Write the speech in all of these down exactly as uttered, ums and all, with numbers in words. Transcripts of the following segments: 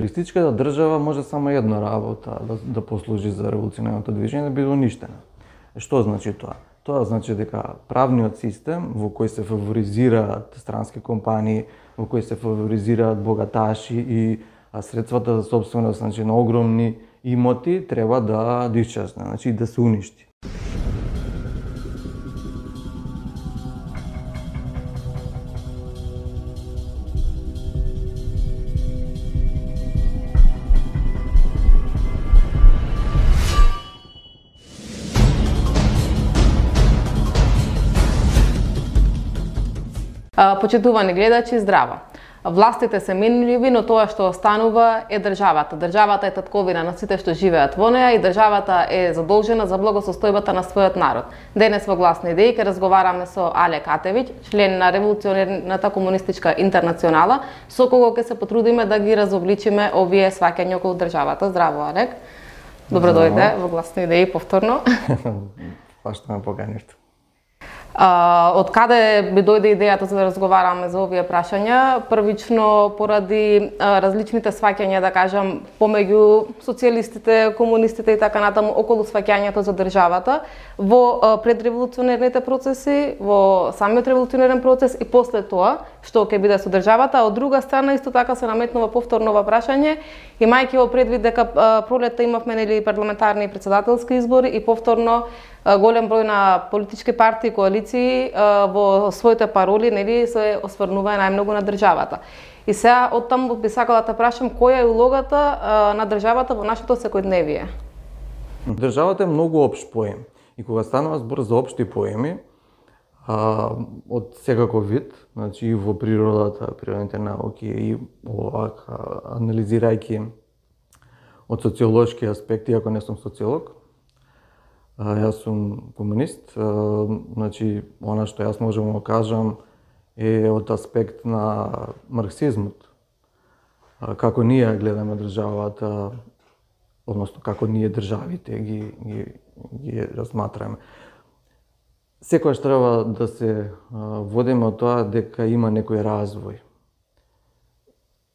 Социјалистичката држава може само една работа да, да послужи за револуционарното движење, да биде уништена. Што значи тоа? Тоа значи дека правниот систем во кој се фаворизираат странски компании, во кој се фаворизираат богаташи и средствата за собственост, значи на огромни имоти, треба да да исчезне, значи да се уништи. Почитувани гледачи, здраво! Властите се менливи, но тоа што останува е државата. Државата е татковина на сите што живеат во неа и државата е задолжена за благосостојбата на својот народ. Денес во Гласни идеи ќе разговараме со Але Катевиќ, член на Револуционерната комунистичка интернационала, со кого ќе се потрудиме да ги разобличиме овие сваќања околу државата. Здраво, Алек! Добро дојде во Гласни идеи повторно. Пашто ме поканивте. Uh, од каде би дојде идејата за да разговараме за овие прашања? Првично поради uh, различните сваќања, да кажам, помеѓу социјалистите, комунистите и така натаму околу сваќањето за државата во uh, предреволуционерните процеси, во самиот револуционерен процес и после тоа што ќе биде со државата, а од друга страна исто така се наметнува повторно ова прашање, имајќи во предвид дека uh, пролетта имавме нели парламентарни и претседателски избори и повторно голем број на политички партии и коалиции во своите пароли нели се осврнува најмногу на државата. И сега од таму би сакала да те прашам која е улогата на државата во нашето секојдневие? Државата е многу општ поем и кога станува збор за општи поеми а, од секаков вид, значи и во природата, природните науки и овак анализирајќи од социолошки аспекти, ако не сум социолог, јас сум комунист, значи она што јас можам да кажам е од аспект на марксизмот. Како ние гледаме државата, односно како ние државите ги, ги, ги разматраме. Секојаш треба да се водиме од тоа дека има некој развој.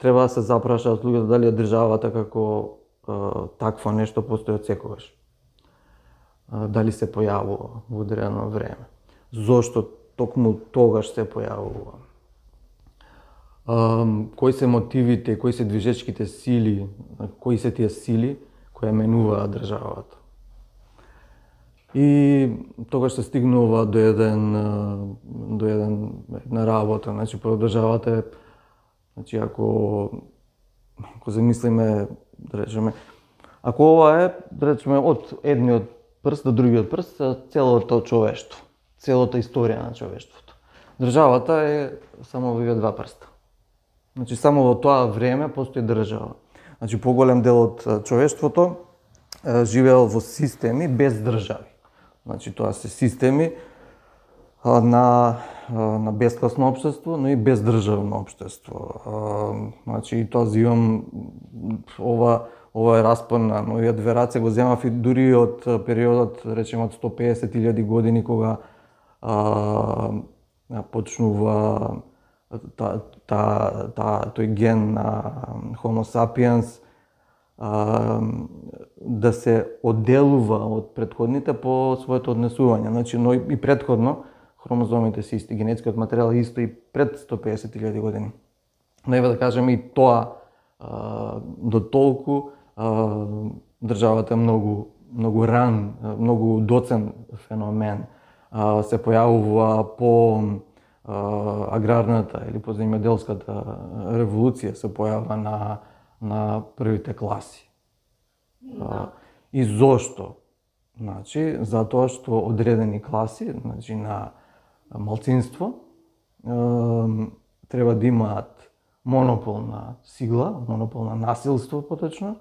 Треба да се запрашаат луѓето дали државата како такво нешто постои од секогаш. Дали се појавува во одредено време. Зошто токму тогаш се појавува. Кои се мотивите, кои се движечките сили, кои се тие сили кои менуваат државата. И тогаш се стигнува до еден до еден една работа, значи прво државата е, значи ако ако замислиме, да речеме, ако ова е, да речеме, од едниот прст до другиот прст, целото човештво, целата историја на човештвото. Државата е само во овие два прста. Значи само во тоа време постои држава. Значи поголем дел од човештвото живеел во системи без држави. Значи тоа се системи на на бескласно општество, но и бездржавно општество. Значи тоа зимам ова ова е распон на новиот верат, се го земав и дури од периодот, речеме, од сто песет илјади години, кога а, почнува та, та, та, тој ген на Homo sapiens а, да се одделува од претходните по своето однесување. Значи, но и претходно хромозомите се исти, генетскиот материјал е исто и пред сто песет илјади години. Но ева да кажеме и тоа а, до толку државата е многу многу ран, многу доцен феномен. Се појавува по аграрната или по земјоделската револуција, се појавува на на првите класи. Да. И зошто? Значи, затоа што одредени класи, значи на малцинство, треба да имаат монопол на сила, монопол на насилство поточно,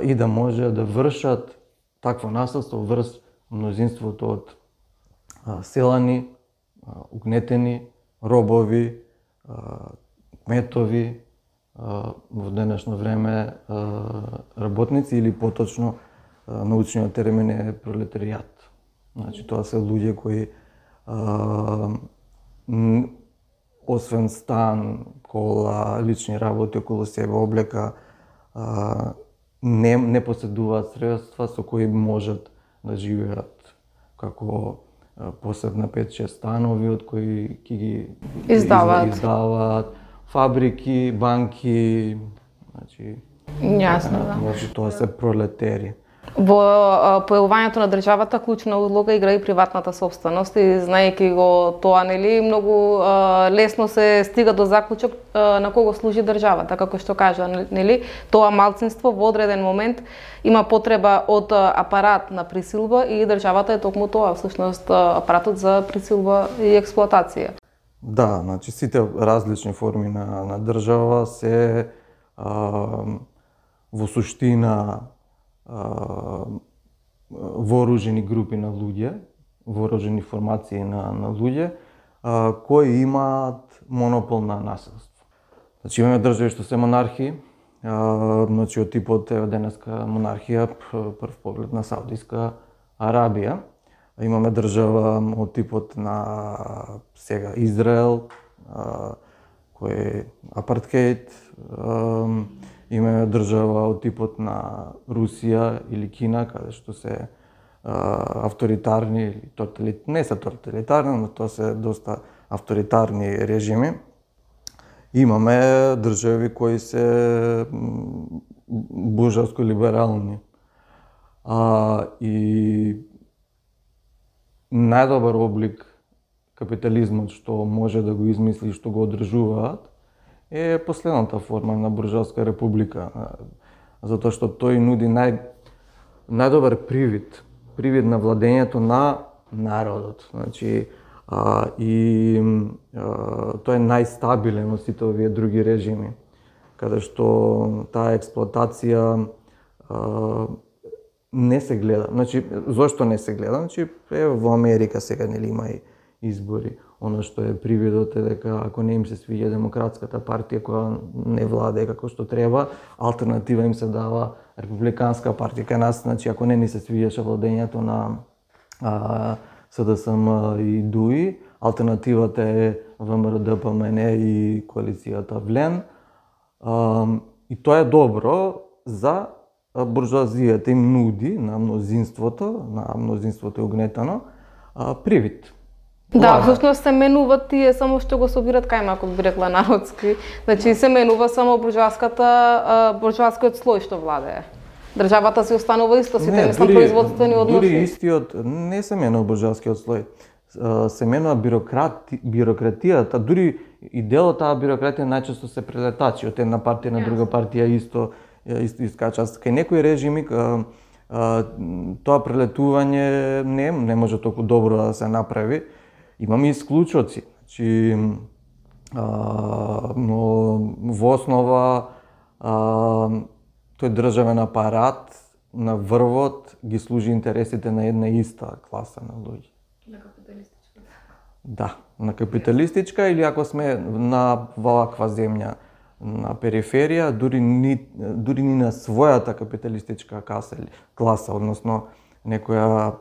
и да може да вршат такво насилство врз мнозинството од селани, угнетени, робови, кметови, во денешно време работници или поточно научниот термин е пролетаријат. Значи тоа се луѓе кои освен стан, кола, лични работи околу себе, облека, а, не, не поседуваат средства со кои можат да живеат како посебна пет-шест станови од кои ќе ги издаваат. издаваат, фабрики, банки, значи Јасно, да. Значи тоа се пролетери. Во појавувањето на државата клучна улога игра и приватната собственост и знаејќи го тоа, нели, многу а, лесно се стига до заклучок а, на кого служи државата, како што кажа, нели, тоа малцинство во одреден момент има потреба од апарат на присилба и државата е токму тоа, всушност апаратот за присилба и експлоатација. Да, значи сите различни форми на, на држава се а, во суштина вооружени групи на луѓе, вооружени формации на, на луѓе, а, кои имаат монопол на насилство. Значи имаме држави што се монархии, а, значи од типот е денеска монархија, прв поглед на Саудиска Арабија. Имаме држава од типот на сега Израел, а, кој е апартхеид. А, имаме држава од типот на Русија или Кина, каде што се а, авторитарни или тоталит... не се тоталитарни, но тоа се доста авторитарни режими. Имаме држави кои се буржуаско либерални. А, и најдобар облик капитализмот што може да го измисли и што го одржуваат е последната форма на буржуаска република, затоа што тој нуди нај, најдобар привид, привид на владењето на народот. Значи, а, и а, тој е најстабилен од сите овие други режими, каде што таа експлоатација а, не се гледа. Значи, зошто не се гледа? Значи, е, во Америка сега нели има и избори. Оно што е привидот е дека ако не им се свиѓа демократската партија која не владее како што треба, алтернатива им се дава републиканска партија. Кај нас, значи, ако не ни се свиѓаше владењето на а, СДСМ и ДУИ, алтернативата е ВМРО-ДПМН и коалицијата Влен. А, и тоа е добро за буржуазијата, им нуди на мнозинството, на мнозинството е угнетено, а, привид. Да, всушност се менуваат тие само што го собират кајмакот, би рекла народски. Значи се менува само буржуаската, буржуаскиот слој што владее. Државата се останува исто, сите не, не производствени односи. Дури истиот не се менува буржуаскиот слој. Се менува бюрократи, бюрократијата, дури и дел од таа бюрократија најчесто се прелетачи од една партија на друга партија исто исто искача. Кај некои режими тоа прелетување не не може толку добро да се направи. Имаме исклучоци, значи, а, но во основа а, тој државен апарат на врвот ги служи интересите на една иста класа на луѓе. На капиталистичка. Да, на капиталистичка или ако сме на ваква земја на периферија, дури ни, дури ни на својата капиталистичка каса, класа, односно некоја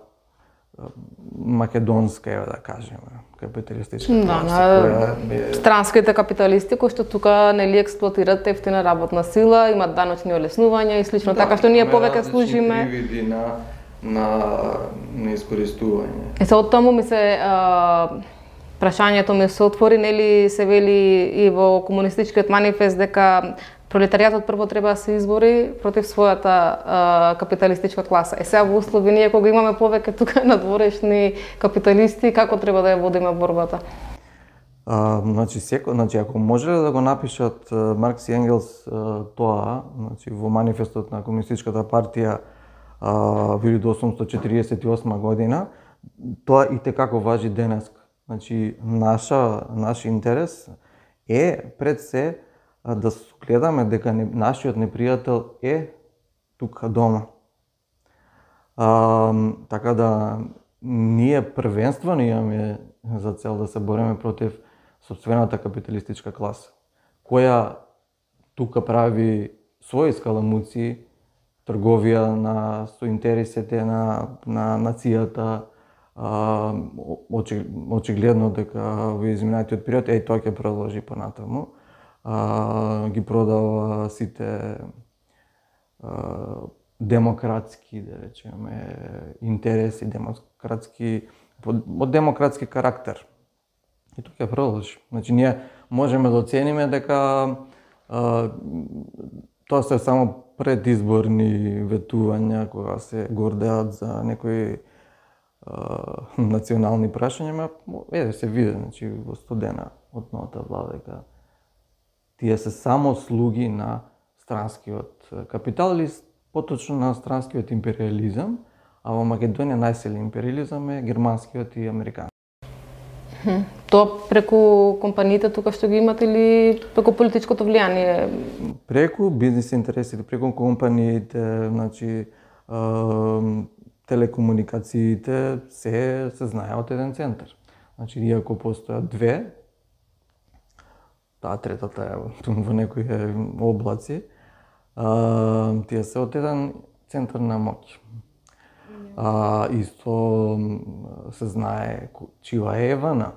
македонска, да кажеме, капиталистичка да, класа, која е... странските капиталисти кои што тука нели експлоатираат ефтина работна сила, имаат даночни олеснувања и слично, да, така што ние повеќе служиме привиди на на на искористување. Е се од таму ми се а, прашањето ми се отвори, нели се вели и во комунистичкиот манифест дека пролетаријатот прво треба да се избори против својата а, капиталистичка класа. Е сега во услови ние кога имаме повеќе тука надворешни капиталисти, како треба да ја водиме борбата? А, значи секој, значи ако можеле да го напишат Маркс и Енгелс а, тоа, значи во манифестот на комунистичката партија во илјада осумстотини четиридесет и осма година, тоа и текако важи денеска. Значи наша наш интерес е пред се да гледаме дека не, нашиот непријател е тука дома. А, така да ние првенствено имаме за цел да се бориме против сопствената капиталистичка класа, која тука прави своји скаламуци, трговија на со интересите на на нацијата, а, очигледно дека во изминатиот период еј тоа ќе продолжи понатаму. А, ги продава сите демократски, да речеме, интереси, демократски, од демократски карактер. И тука ќе продолжи. Значи, ние можеме да оцениме дека а, тоа се само предизборни ветувања кога се гордеат за некои а, национални прашања, ма еде се види, значи во студена од новата влада дека тие се само слуги на странскиот капитал или поточно на странскиот империализам, а во Македонија најсилен империализам е германскиот и американски. Тоа преку компаниите тука што ги имат или преку политичкото влијание? Преку бизнис интересите, преку компаниите, значи телекомуникациите се се знае од еден центар. Значи иако постојат две, таа третата е во некои облаци, а, тие се од еден центар на моќ. А, исто се знае чија е Евана.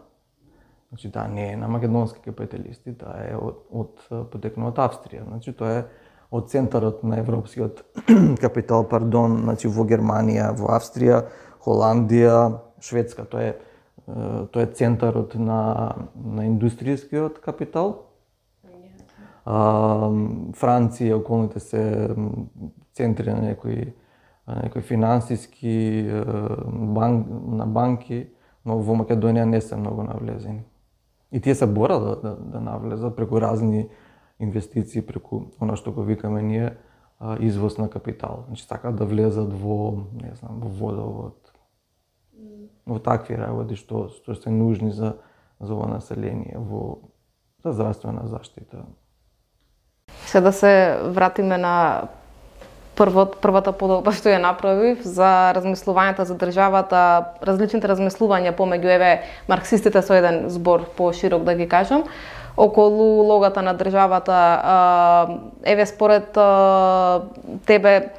Значи, таа не е на македонски капиталисти, таа е од, од потекнува од Австрија. Значи, тоа е од центарот на европскиот капитал, пардон, значи во Германија, во Австрија, Холандија, Шведска. Тоа е тоа е центарот на на индустријскиот капитал. А, Франција, околните се центри на некои некои финансиски банк, на банки, но во Македонија не се многу навлезени. И тие се борат да, да, да навлезат преку разни инвестиции, преку она што го викаме ние извоз на капитал. Значи сакаат да влезат во, не знам, во водовод, во такви работи што што се нужни за за ова население, во за здравствена заштита. Се да се вратиме на првот, првата подоба што ја направив за размислувањата за државата, различните размислувања помеѓу еве марксистите со еден збор поширок да ги кажам, околу улогата на државата, еве според тебе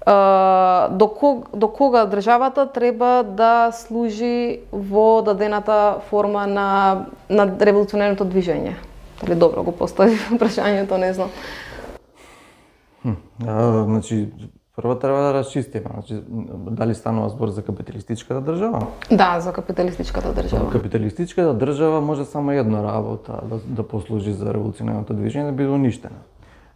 до кога, до кога државата треба да служи во дадената форма на на револуционерното движење? Дали добро го постави прашањето, не знам. А, значи, прво треба да расчистиме, значи, дали станува збор за капиталистичката држава? Да, за капиталистичката држава. Капиталистичката држава може само една работа да, да послужи за револуционерното движење, да биде уништена.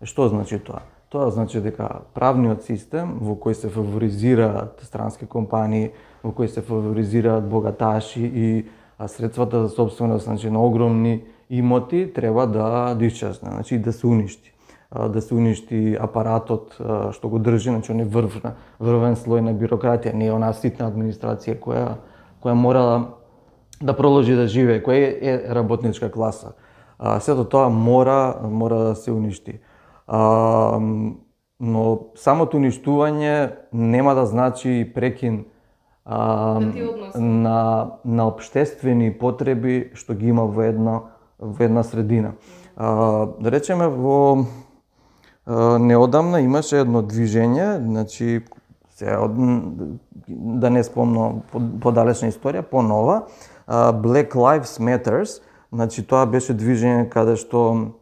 Што значи тоа? Тоа значи дека правниот систем во кој се фаворизираат странски компании, во кој се фаворизираат богаташи и средствата за собственост, значи на огромни имоти, треба да да исчезне, значи да се уништи. Да се уништи апаратот што го држи, значи он е врвна, врвен слој на бирократија, не е онаа ситна администрација која која мора да продолжи да живее, која е работничка класа. Сето тоа мора мора да се уништи. А, но самото уништување нема да значи прекин а, на на општествени потреби што ги има во една во една средина. А, да речеме во а, неодамна имаше едно движење, значи се од, да не спомнам подалечна историја, понова, а, Black Lives Matters, значи тоа беше движење каде што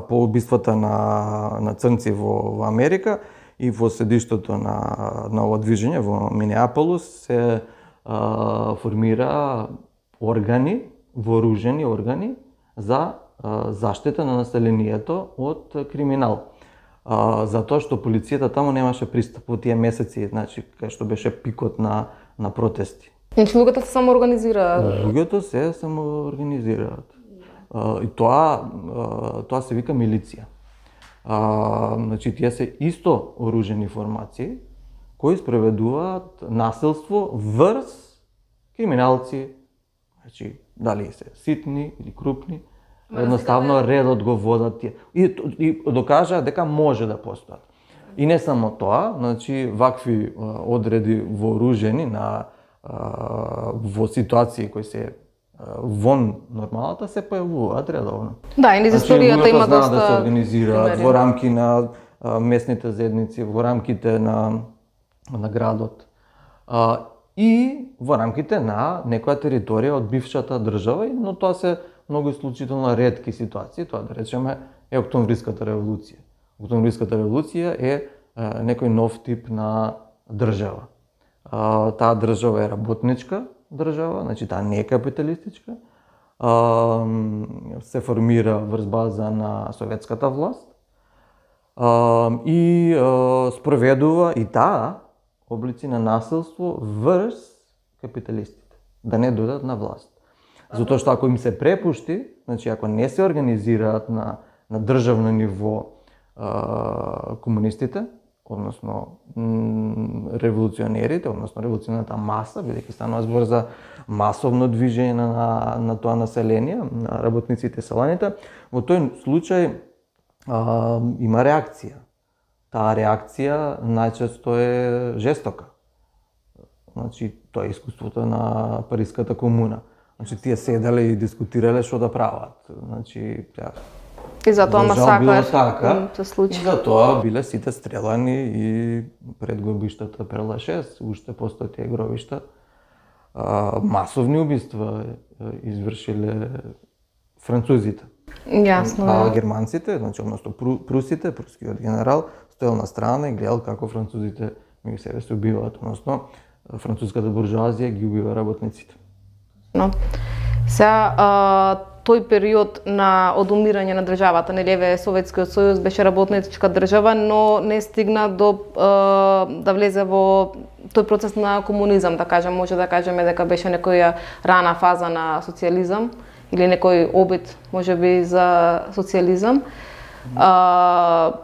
по убиствата на на црнци во, во Америка и во седиштето на на ова движење во Минеаполис се а, формира органи, вооружени органи за а, заштита на населението од криминал. А, затоа што полицијата таму немаше пристап во тие месеци, значи кај што беше пикот на на протести. Значи луѓето се самоорганизираат. Луѓето се самоорганизираат. Uh, и тоа uh, тоа се вика милиција. Uh, значи тие се исто оружени формации кои спроведуваат насилство врз криминалци, значи дали се ситни или крупни, едноставно редот го водат тие и, и докажаа дека може да постојат. И не само тоа, значи вакви uh, одреди вооружени на uh, во ситуации кои се вон нормалата се појавуваат редовно. Да, и низ историјата значи, има доста да се организираат во рамки на а, местните заедници, во рамките на на градот. А, и во рамките на некоја територија од бившата држава, но тоа се многу исклучително ретки ситуации, тоа да речеме е Октомвриската револуција. октомвриската револуција е некој нов тип на држава. Таа држава е работничка држава, значи таа не е капиталистичка. Се формира врз база на советската власт и спроведува и таа облици на насилство врз капиталистите, да не дојдат на власт. Затоа што ако им се препушти, значи ако не се организираат на, на државно ниво а, комунистите, односно револуционерите, односно револуционерната маса, бидејќи станува збор за масовно движење на, на тоа население, на работниците и селаните, во тој случај а, има реакција. Таа реакција најчесто е жестока. Значи, тоа е искуството на Париската комуна. Значи, тие седеле и дискутирале што да прават. Значи, тя... И затоа масакар така, се случи. И затоа биле сите стрелани и пред гробиштата Перла шест, уште постои тие гробишта. А, масовни убиства извршиле французите. Јасно. А германците, значи, односно прусите, прускиот генерал, стоел на страна и гледал како французите меѓу себе се убиваат, односно француската буржуазија ги убива работниците. Но сега а, тој период на одумирање на државата, нели еве Советскиот сојуз беше работничка држава, но не стигна до а, да влезе во тој процес на комунизам, да кажем, може да кажеме дека беше некоја рана фаза на социјализам или некој обид, можеби, за социјализам. А,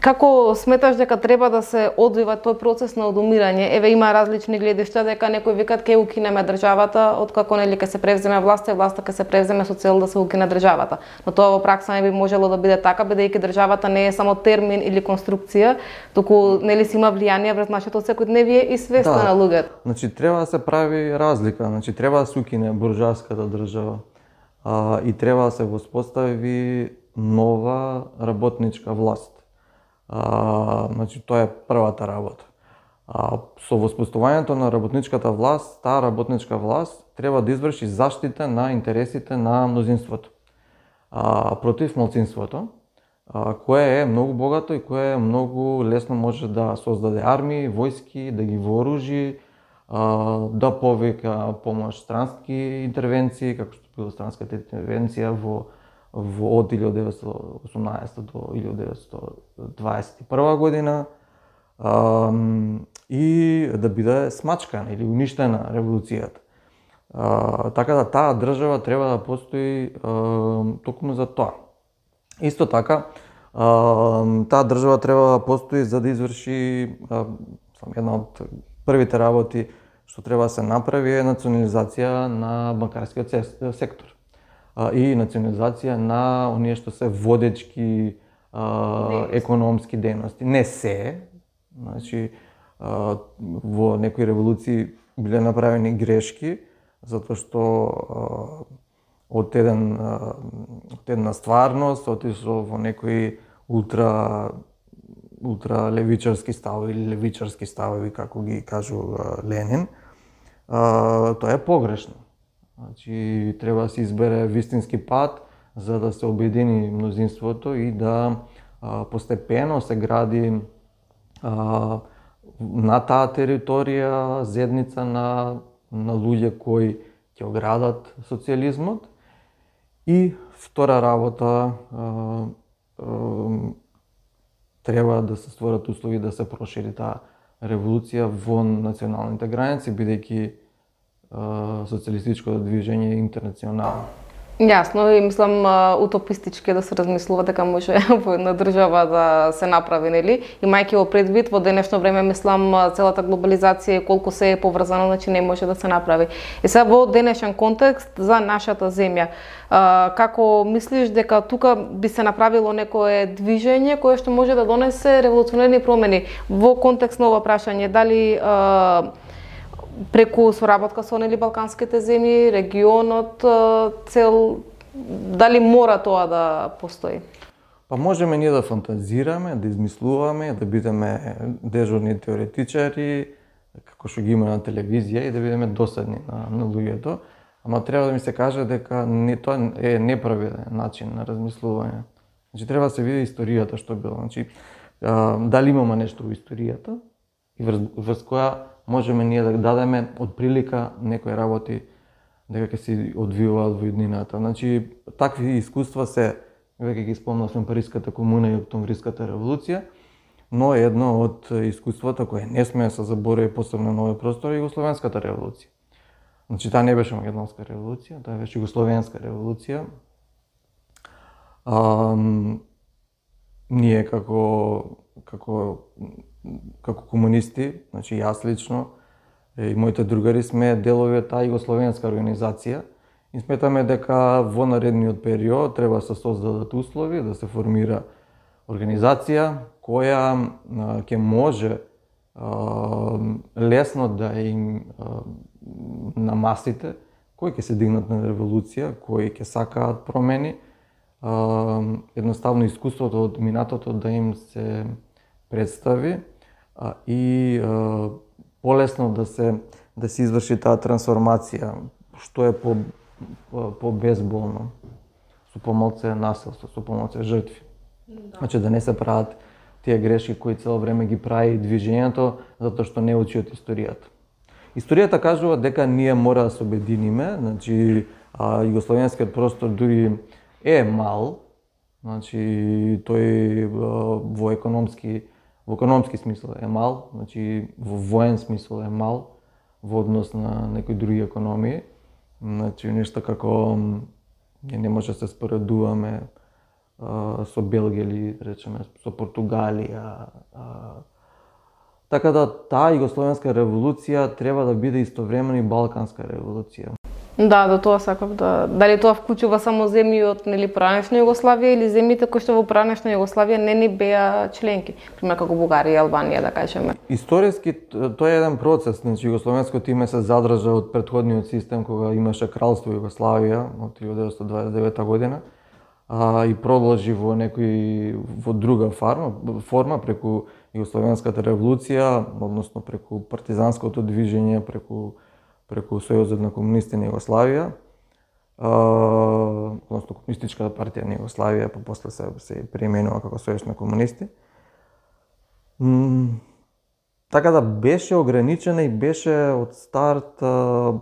Како сметаш дека треба да се одвива тој процес на одумирање? Еве има различни гледишта, дека некои викат ке укинеме државата, откако нели ке се превземе власта, и власта ке се превземе со цел да се укине државата. Но тоа во пракса не би можело да биде така, бидејќи државата не е само термин или конструкција, туку нели си има влијание врз нашето секојдневие и свеста да, на луѓето. Значи треба да се прави разлика, значи треба да се укине буржуаската држава а, и треба да се воспостави нова работничка власт. А, значи, тоа е првата работа. А, со воспоставувањето на работничката власт, таа работничка власт треба да изврши заштита на интересите на мнозинството а, против малцинството, а, кое е многу богато и кое е многу лесно може да создаде армии, војски, да ги вооружи, а, да повика помош странски интервенции, како што била странската интервенција во во од илјада деветстотини и осумнаесетта до илјада деветстотини дваесет и прва година а, и да биде смачкана или уништена револуцијата. А, така да таа држава треба да постои а, токму за тоа. Исто така, а, таа држава треба да постои за да изврши а, една од првите работи што треба да се направи е национализација на банкарскиот сектор и национализација на оние што се водечки а, економски дейности. Не се, значи а, во некои револуции биле направени грешки, затоа што а, од еден а, од една стварност отишло во некои ултра ултра левичарски ставови или левичарски ставови, како ги кажува Ленин. А, тоа е погрешно. Значи, треба да се избере вистински пат за да се обедини мнозинството и да а, постепено се гради а, на таа територија зедница на, на луѓе кои ќе оградат социјализмот. И втора работа, а, а, треба да се створат услови да се прошири таа револуција во националните граници, бидејќи социјалистичкото движење интернационално. Јасно, и мислам утопистички да се размислува дека може во една држава да се направи, нели? Имајќи во предвид во денешно време, мислам, целата глобализација колку се е поврзано, значи не може да се направи. И сега во денешен контекст за нашата земја, како мислиш дека тука би се направило некое движење кое што може да донесе револуционерни промени во контекст на ова прашање, дали преку соработка со нели балканските земји, регионот, цел, дали мора тоа да постои? Па можеме ние да фантазираме, да измислуваме, да бидеме дежурни теоретичари, како што ги има на телевизија, и да бидеме досадни на, на луѓето, ама треба да ми се каже дека не, тоа е неправилен начин на размислување. Значи треба да се види историјата што било. Значи а, дали имаме нешто во историјата и врз, врз која можеме ние да дадеме од прилика некои работи дека ќе се одвиваат во иднината. Значи такви искуства се, веќе ги спомнавме Париската комуна и Октомвриската револуција, но едно од искуствата кое не сме да се заборави посебно на овој простор е Југословенската револуција. Значи таа не беше Македонска револуција, таа беше Југословенска револуција. А, ние како како како комунисти, значи јас лично и моите другари сме делови од таа југословенска организација и сметаме дека во наредниот период треба да се создадат услови да се формира организација која ќе може а, лесно да им а, на масите кои ќе се дигнат на револуција, кои ќе сакаат промени, а, едноставно искуството од минатото да им се представи а, и а, полесно да се да се изврши таа трансформација, што е по по безболно, со помалце насилство, со помалце жртви. Да. Значи да не се прават тие грешки кои цело време ги прави движењето затоа што не учи од историјата. Историјата кажува дека ние мора да се обединиме, значи а, југословенскиот простор дури е мал, значи тој а, во економски во економски смисол е мал, значи во воен смисол е мал во однос на некои други економии. Значи нешто како не може да се споредуваме а, со Белгија или речеме со Португалија. А, така да таа југословенска револуција треба да биде истовремено и балканска револуција. Да, до тоа сакав да дали тоа вклучува само земји од нели поранешна Југославија или земјите кои што во поранешна Југославија не ни беа членки, пример како Бугарија и Албанија да кажеме. Историски тоа е еден процес, значи југословенското име се задржа од претходниот систем кога имаше кралство Југославија од илјадесетстотини дваесет и девета година, а, и продолжи во некој во друга форма, форма преку Југословенската револуција, односно преку партизанското движење, преку преку Сојузот на комунисти на Југославија, односно Комунистичката партија на Југославија, па после се, се преименува како Сојуз на комунисти. М, така да беше ограничена и беше од старт, а,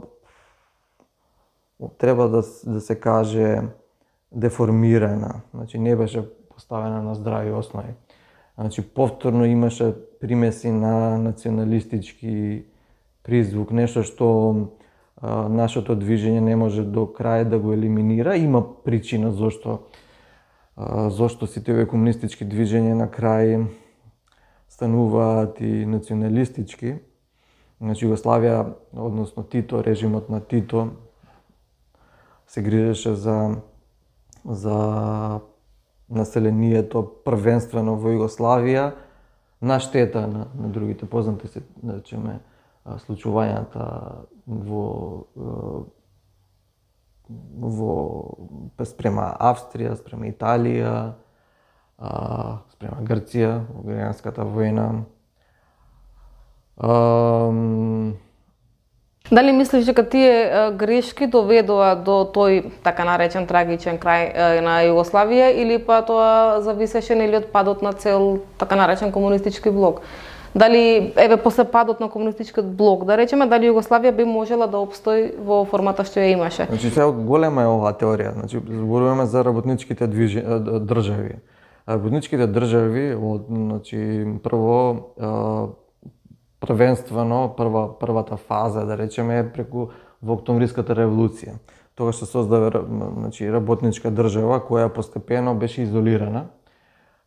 треба да, да се каже, деформирана. Значи не беше поставена на здрави основи. Значи повторно имаше примеси на националистички призвук, нешто што а, нашето движење не може до крај да го елиминира. Има причина зошто а, зошто сите овие комунистички движења на крај стануваат и националистички. Значи Југославија, односно Тито, режимот на Тито се грижеше за за населението првенствено во Југославија на штета на, на другите. Познати се, да речеме, случувањата во во спрема Австрија, спрема Италија, спрема Грција, во граѓанската војна. Дали мислиш дека тие грешки доведоа до тој така наречен трагичен крај на Југославија или па тоа зависеше нели од падот на цел така наречен комунистички блок? Дали еве после падот на комунистичкиот блок, да речеме, дали Југославија би можела да опстои во формата што ја имаше? Значи сега голема е оваа теорија. Значи зборуваме за работничките движи... држави. Работничките држави од значи прво првенствено прва првата фаза да речеме е преку во Октомвриската револуција. Тогаш се создава значи работничка држава која постепено беше изолирана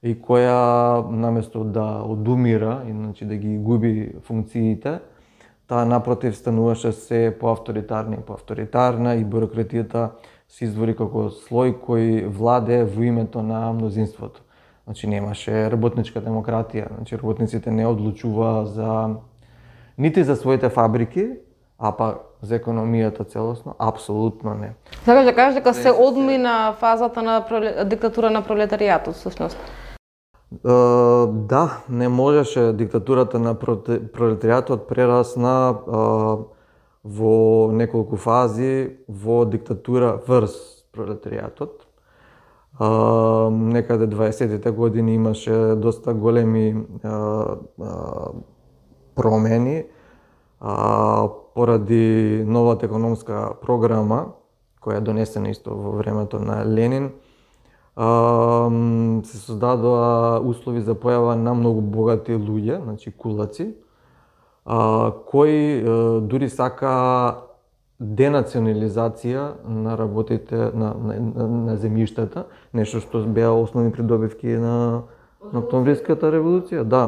и која наместо да одумира и значи да ги губи функциите, таа напротив стануваше се поавторитарна и поавторитарна и бюрократијата се извори како слој кој владее во името на мнозинството. Значи немаше работничка демократија, значи работниците не одлучуваа за нити за своите фабрики, а па за економијата целосно, апсолутно не. Сакаш да кажеш дека се одмина фазата на проле... диктатура на пролетаријатот всушност? Uh, да, не можеше диктатурата на пролетаријатот прерасна uh, во неколку фази во диктатура врз пролетаријатот. А, некаде дваесеттите години имаше доста големи а, а, промени а, поради новата економска програма која е донесена исто во времето на Ленин. А, се создадоа услови за појава на многу богати луѓе, значи кулаци, а, кои а, дури сака денационализација на работите на, на, на, на земјиштата, нешто што беа основни придобивки на, на Октомвриската револуција, да.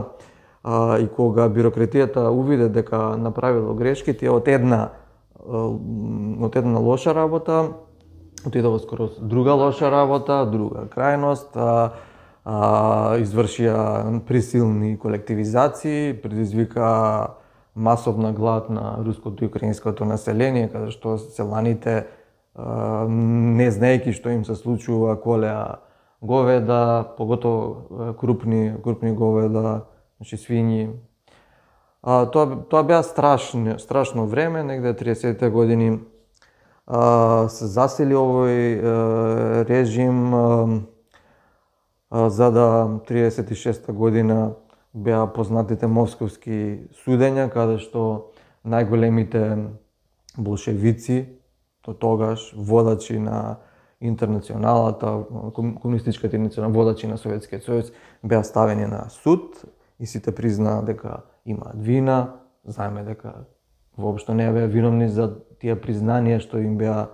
А, и кога бирократијата увиде дека направило грешки, тие од една од една лоша работа отидоа скоро друга лоша работа, друга крајност, а, а, извршија присилни колективизации, предизвика масовна глад на руското и украинското население, каде што селаните, не знаејќи што им се случува, колеа говеда, поготово крупни, крупни говеда, значи свињи. А, тоа, тоа беа страшно, страшно време, негде триесеттите години. А, се засили овој а, режим, а, а, за да триесет и шеста година беа познатите московски судења, каде што најголемите болшевици, до тогаш водачи на интернационалата, комунистичката интернационала, водачи на Советскиот сојуз, беа ставени на суд и сите признаа дека имаат вина, знаеме дека воопшто не беа виновни за тие признанија што им беа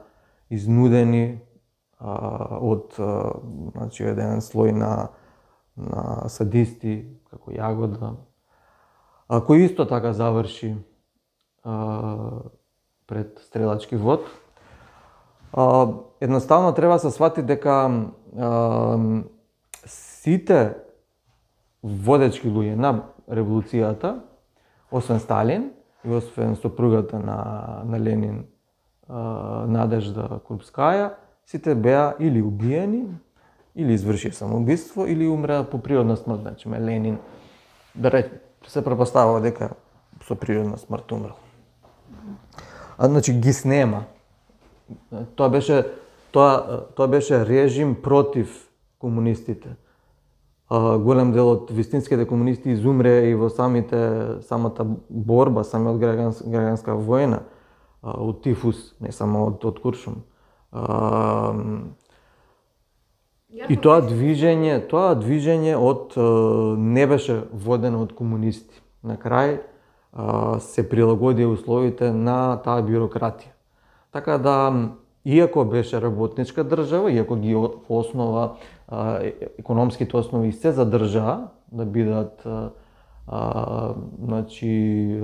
изнудени а, од а, значи еден слој на на садисти како Јагода, а, кој исто така заврши а, пред стрелачки вод. А, едноставно треба да се свати дека а, сите водечки луѓе на револуцијата, освен Сталин и освен сопругата на, на Ленин, а, Надежда Крупскаја, сите беа или убиени, или извршија самоубиство, или умреа по природна смрт. Значи, Ленин, да реч, се препоставува дека со природна смрт умрел. А, значи, ги снема. Тоа беше, тоа, тоа беше режим против комунистите. А, голем дел од вистинските комунисти изумре и во самите, самата борба, самиот граѓанска, граѓанска војна, а, од тифус, не само од, од Куршум. А, И тоа движење, тоа движење од не беше водено од комунисти. На крај се прилагодија условите на таа бюрократија. Така да, иако беше работничка држава, иако ги основа економските основи се задржаа да бидат а, значи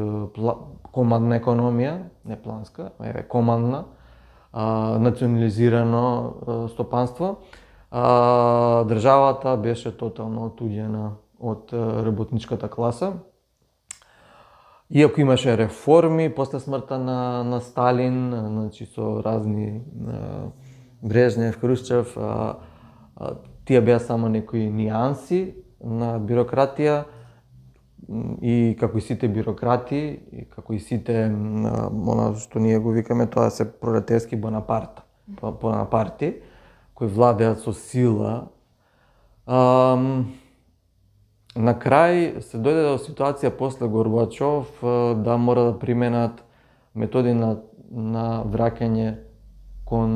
командна економија, не планска, еве командна, а, национализирано а, стопанство. А, државата беше тотално отуѓена од работничката класа. Иако имаше реформи после смртта на, на Сталин, значи со разни а, Брежнев, Хрушчев, а, а, тие беа само некои нијанси на бюрократија и како и сите бюрократи, и како и сите она што ние го викаме, тоа се пролетарски Бонапарт, Бонапарти, кои владеат со сила. Um, на крај се дојде до ситуација после Горбачов да мора да применат методи на, на враќање кон,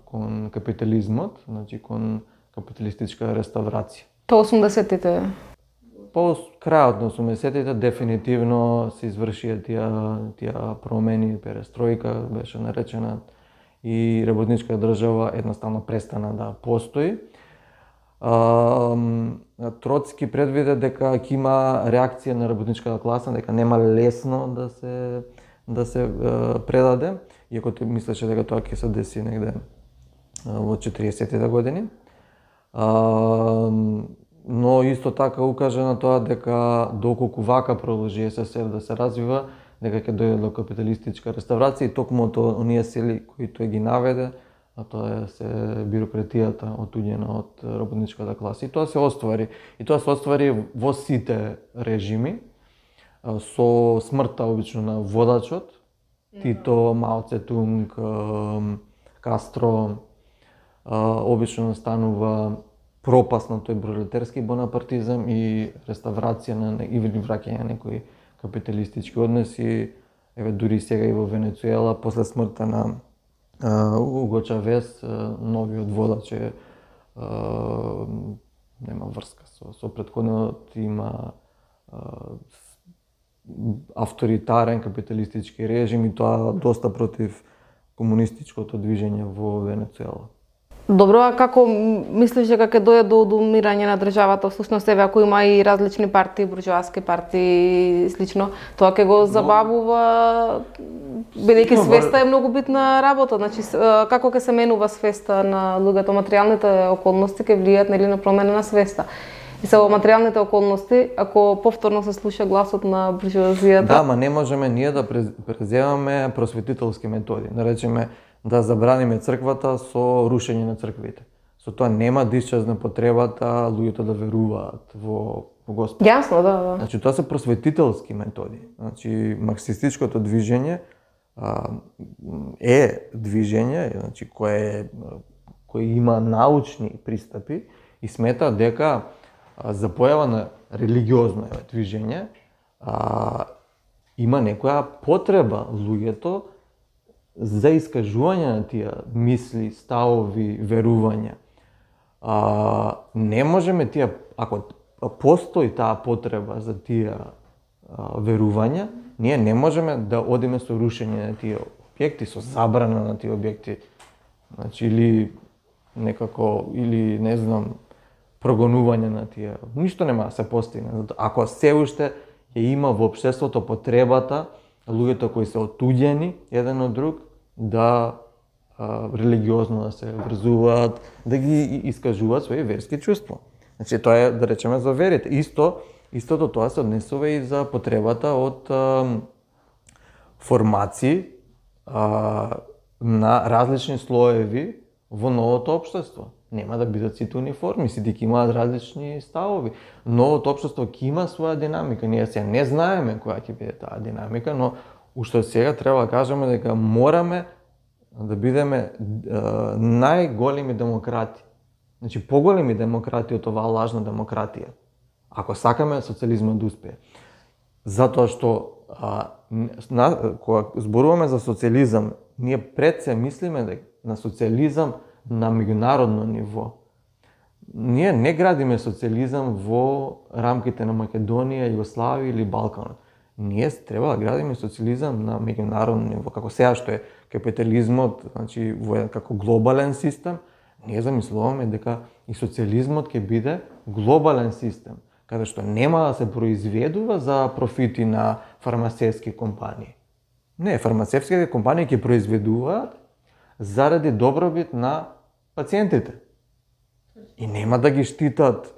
кон капитализмот, значи кон капиталистичка реставрација. По осумдесеттите? По крајот на осумдесеттите дефинитивно се извршија тие, тие промени, перестројка беше наречена, и работничка држава едноставно престана да постои. А, Троцки предвиде дека ќе има реакција на работничката класа, дека нема лесно да се да се а, предаде, иако тој мислеше дека тоа ќе се деси негде во четириесеттите години. А, но исто така укаже на тоа дека доколку вака продолжи СССР да се развива, дека ќе дојде до капиталистичка реставрација и токму од оние сили кои тој ги наведе, а тоа е се бюрократијата отуѓена од работничката класа. И тоа се оствари. И тоа се оствари во сите режими, со смртта обично на водачот, Тито, Мао Цетунг, Кастро, обично настанува пропаст на тој пролетарски бонапартизам и реставрација на или враќање на некои капиталистички односи. Еве дури сега и во Венецуела после смртта на Уго Чавес, новиот водач е нема врска со, со претходниот, има авторитарен капиталистички режим и тоа доста против комунистичкото движење во Венецуела. Добро, а како мислиш дека ќе дојде до одумирање на државата? Всушност, еве, ако има и различни партии, буржоаски партии и слично, тоа ќе го забавува, бидејќи свеста е многу битна работа. Значи, како ќе се менува свеста на луѓето? Материјалните околности ќе влијаат нели на промена на свеста. И се во материјалните околности, ако повторно се слуша гласот на буржоазијата... Да, ма не можеме ние да преземаме просветителски методи. Да речеме, да забраниме црквата со рушење на црквите. Со тоа нема да исчезне потребата луѓето да веруваат во, во Господ. Јасно, да, да. Значи, тоа се просветителски методи. Значи, марксистичкото движење а, е движење, значи, кое, кое има научни пристапи и смета дека а, за појава на религиозно движење а, има некоја потреба луѓето за искажување на тие мисли, ставови, верувања. А, не можеме тие, ако постои таа потреба за тие а, верувања, ние не можеме да одиме со рушење на тие објекти, со забрана на тие објекти. Значи, или некако, или не знам, прогонување на тие. Ништо нема да се постигне. Ако се уште ја има во општеството потребата луѓето кои се отуѓени еден од друг да а, религиозно да се врзуваат, да ги искажуваат своји верски чувства. Значи тоа е, да речеме, за верите. Исто, истото тоа се однесува и за потребата од а, формации а, на различни слоеви во новото општество. Нема да бидат сите униформи, сите ќе имаат различни ставови. Новото општество ќе има своја динамика. Ние сега не знаеме која ќе биде таа динамика, но уште сега треба да кажеме дека мораме да бидеме а, најголеми демократи. Значи, поголеми демократи од оваа лажна демократија. Ако сакаме социјализмот да успее. Затоа што а, на, кога зборуваме за социјализам, ние пред се мислиме дека на социјализам на меѓународно ниво. Ние не градиме социјализам во рамките на Македонија, Југославија или Балканот. Ние треба да градиме социјализам на меѓународно ниво, како сега што е капитализмот, значи во како глобален систем, ние замислуваме дека и социјализмот ќе биде глобален систем, каде што нема да се произведува за профити на фармацевтски компании. Не, фармацевтските компании ќе произведуваат заради добробит на пациентите. И нема да ги штитат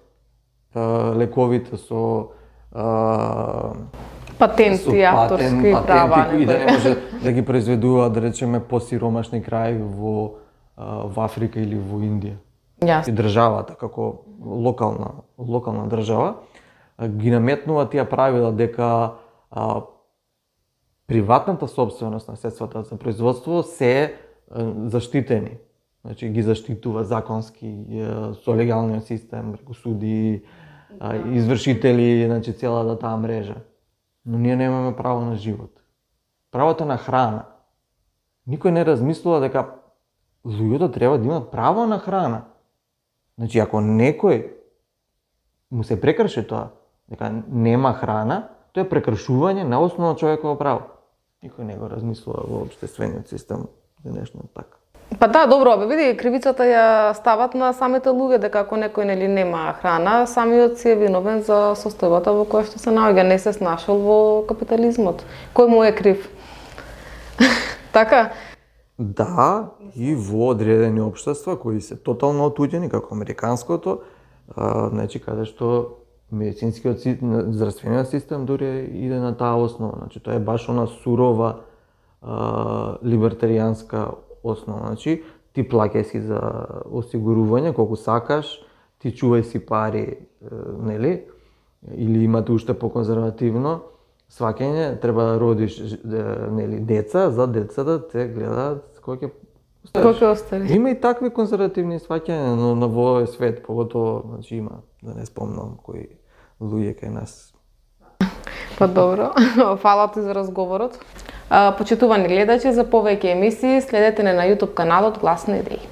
а, лековите со а, патенти, со авторски патент, права. Патенти, и да не може да ги произведуваат, да речеме, посиромашни краји во, а, во Африка или во Индија. Јасно. И државата, како локална, локална држава, а, ги наметнува тие правила дека а, приватната собственост на средствата за производство се заштитени. Значи ги заштитува законски со легалниот систем, преку суди, извршители, значи целата таа мрежа. Но ние немаме право на живот. Правото на храна. Никој не размислува дека луѓето треба да имат право на храна. Значи ако некој му се прекрши тоа, дека нема храна, тоа е прекршување на основно човеково право. Никој не го размислува во општествениот систем денешниот така. Па да, добро, бе, види, кривицата ја стават на самите луѓе, дека ако некој нели нема храна, самиот си е виновен за состојбата во која што се наоѓа, не се снашол во капитализмот. Кој му е крив? Така? Да, и во одредени општества кои се тотално отуѓени, како американското, а, значи каде што медицинскиот здравствениот систем дури иде на таа основа. Значи тоа е баш она сурова а, либертаријанска основа. Значи ти плаќај си за осигурување колку сакаш, ти чувај си пари, нели? Или имате уште поконзервативно сваќање, треба да родиш, нели, деца, за децата те гледаат кој ќе Кој ќе остари? Има и такви конзервативни сваќања, но на во овој свет поготово, значи има, да не спомнам кои луѓе кај нас. Па добро, фала ти за разговорот. Почитувани гледачи, за повеќе емисии следете не на YouTube каналот Глас на идеи.